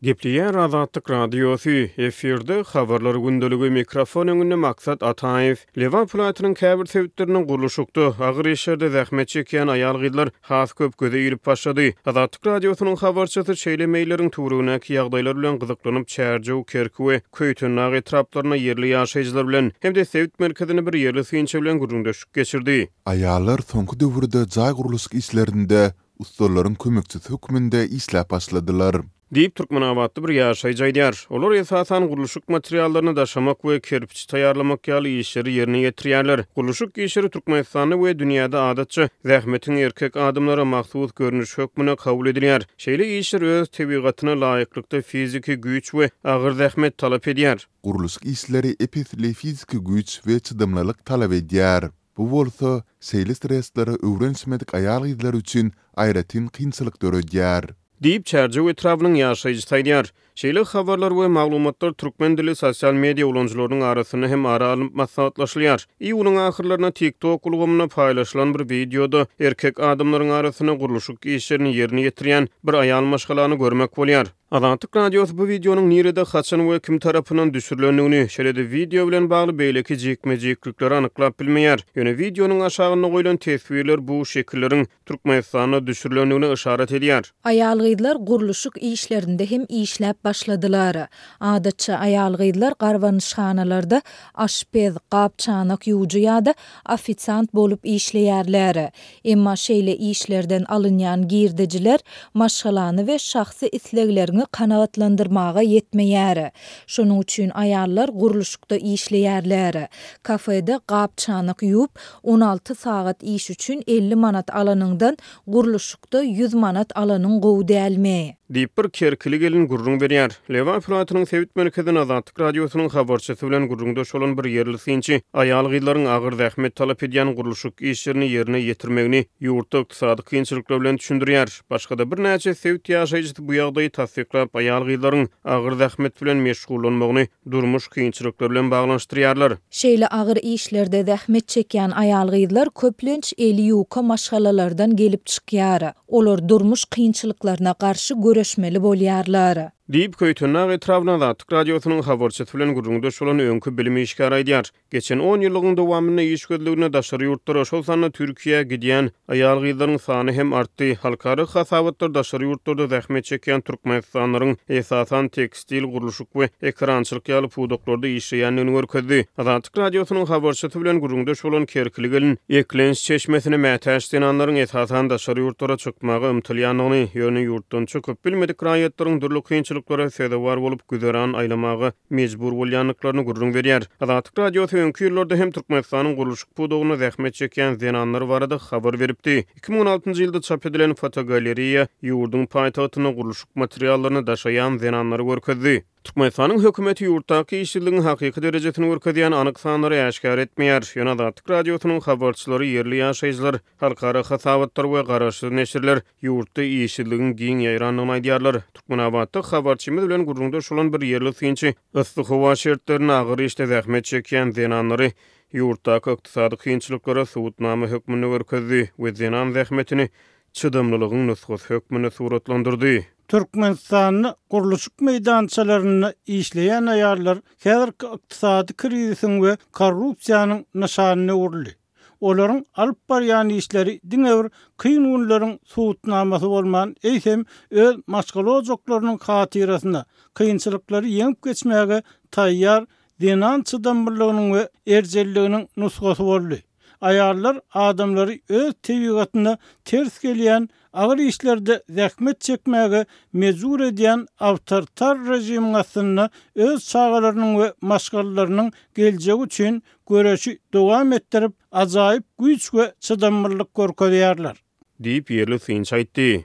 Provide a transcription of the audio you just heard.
Gepleýär Azatlyk Radiosy, efirde Habarlar gündeligi, mikrofon öňünde Maksat Ataýew. Lebap welaýatynyň käbir sebitlerinde gurluşykda, agyr işlerde zähmet çekýän aýal-gyzlar has köp göze ilip başlady. Azatlyk Radiosynyň habarçysy şeýle meýilleriň töweregindäki ýagdaýlar bilen gyzyklanyp, Çärjew, Kerki we Köýtendag etraplarynda ýerli ýaşaýjylar bilen hem-de sebit merkezinde bir ýerli synçy bilen gürrüňdeşlik geçirdi. Aýallar soňky döwürde jaý gurluşyk işlerinde ussalaryň kömekçisi hökmünde işläp başladylar. Diýip, türkmenabatly bir ýaşaýjy aýdýar. Olar, esasan, gurluşyk materiallaryny daşamak we kerpiç taýýarlamak ýaly işleri ýerine ýetirýärler. Gurluşyk işleri Türkmenistanda we dünýäde adatça, zähmetiň erkek adamlara mahsus görnüşi hökmünde kabul edilýär. Şeýle işler öz tebigatyna laýyklykda fiziki güýç we agyr zähmet talap edýär. Gurluşyk işleri ep-esli fiziki güýç we çydamlylyk talap edýär. Bu bolsa, şeýle streslere öwrenişmedik aýal-gyzlar üçin aýratyn kynçylyk döredýär. Diýip, Çärjew etrabynyň ýaşaýjysy aýdýar. Şeýle habarlar we maglumatlar türkmen dilli sosial media ulanyjylarynyň arasynda hem ara alnyp maslahatlaşylýar. Iýunyň ahyrlarynda TikTok ulgamynda paýlaşylan bir wideoda erkek adamlaryň arasynda gurluşyk işlerini ýerine ýetirýän bir aýal maşgalany görmek bolýar. Azatlyk Radiosy bu wideonyň nirede, haçan we kim tarapyndan düşürilendigini, şeýle-de wideo bilen bagly beýleki jikme-jiklikleri anyklap bilmeýär. Ýöne wideonyň aşagynda goýlan teswirler bu şekilleriň Türkmenistanda düşürilendigine yşarat edýär. Aýal-gyzlar gurluşyk işlerinde hem işläp başladylar. Adatça, aýal-gyzlar garbanyşhanalarda aşpez, gap-çanak ýuwujy ýa-da ofisiant bolup işleýärler. Emma şeýle işlerden alynýan girdejiler maşgalany we şahsy islegleriňi kanagatlandyrmaga ýetmeýär. Şonuň üçin aýallar gurluşykda işleýärler. Kafede gap-çanak ýuwup, 16 sagat iş üçin 50 manat alanyňdan, gurluşykda 100 manat alanyň gowy dälmi? Diýip, bir kerkili gelin gürrüň berýär. Lebap welaýatynyň sebit merkezinde Azatlyk Radiosynyň habarçysy bilen gürrüňdeş bolan bir ýerli synçy aýal-gyzlaryň agyr zähmet talap edýän gurluşyk işlerini ýerine ýetirmegini ýurtda ykdysady kynçylyklar bilen düşündirýär. Başga-da birnäçe sebit ýaşaýjysy bu ýagdaýy tassyklap, aýal-gyzlaryň agyr zähmet bilen meşgullanmagyny durmuş kynçylyklary bilen baglanyşdyrýarlar. Şeýle agyr işlerde zähmet çekýän aýal-gyzlar köplenç eli ýuka maşgalalardan gelip çykýar. Olar durmuş kynçylyklaryna garşy göreşmeli bolýarlar. Diýip, Köýtendag etrabynyň Azatlyk Radiosynyň habarçysy bilen gürrüňdeş bolan öňki bilim işgäri aýdýar. Geçen on ýyllygyň dowamynda iş gözlegine daşary ýurtlara, şol sanda Türkiýä gidýän aýal-gyzlaryň sany hem artdy. Halkara hasabatlar daşary ýurtlarda zähmet çekýän türkmenistanlylaryň, esasan, tekstil, gurluşyk we ekerançylyk ýaly pudaklarda işleýändigini görkezdi. Azatlyk Radiosynyň habarçysy bilen gürrüňdeş bolan kerkili gelin eklenç çeşmesine mätäç zenanlaryň esasan daşary ýurtlara çykmaga ymtylýandygyny, ýöne ýurtdan çykyp bilmedik raýatlaryň dürli kynçylyklara sezewar bolup güzeran aýlamaga mejbur bolýandyklaryny gürrüň berýär. Azatlyk Radiosy öňki ýyllarda hem Türkmenistanyň gurluşyk pudagynda zähmet çekýän zenanlar barada habar beripdi. 2016-njy ýylda çap edilen fotogalereýa ýurduň paýtagtynda gurluşyk materiallaryny daşaýan zenanlary görkezdi. Türkmenistanyň hökümeti ýurtdaky işsizligiň hakyky derejesini görkezýän anyk sanlary äşgär etmeýär. Ýöne Azatlyk Radiosynyň habarçylary ýerli ýaşaýjylar, halkara hasabatlar we garaşsyz neşirler ýurtda işsizligiň giň ýaýrandygyny aýdýarlar. Türkmenabatda habarçymyz bilen gürrüňdeş bolan bir ýerli synçy yssy howa şertlerinde agyr işde zähmet çekýän zenanlary ýurtdaky ykdysady kynçylyklara subutnama hökmünde görkezdi we zenan zähmetini çydamlylygyň nusgasy hökmünde suratlandyrdy. Türkmenistanda gurluşyk meýdançalarynda işleýän aýallar häzirki ykdysady krizisiň we korrupsiýanyň nyşanyna öwrüldi. Olaryň alyp barýan işleri diňe bir kyn günleriň subutnamasy bolman, eýsem, öz maşgala ojaklarynyň hatyrasyna kynçylyklary ýeňip geçmäge taýýar zenan çydamlylygynyň we erjelliginiň nusgasy boldy. Aýallar adamlary öz tebigatyna ters gelýän agyr işlerde zähmet çekmäge mejbur edýän awtoritar režimiň astynda öz çagalarynyň we maşgalalarynyň geljegi üçin göreşi dowam etdirip, ajaýyp güýç we çydamlylyk görkezýärler. Diýip, ýerli synçy aýtdy.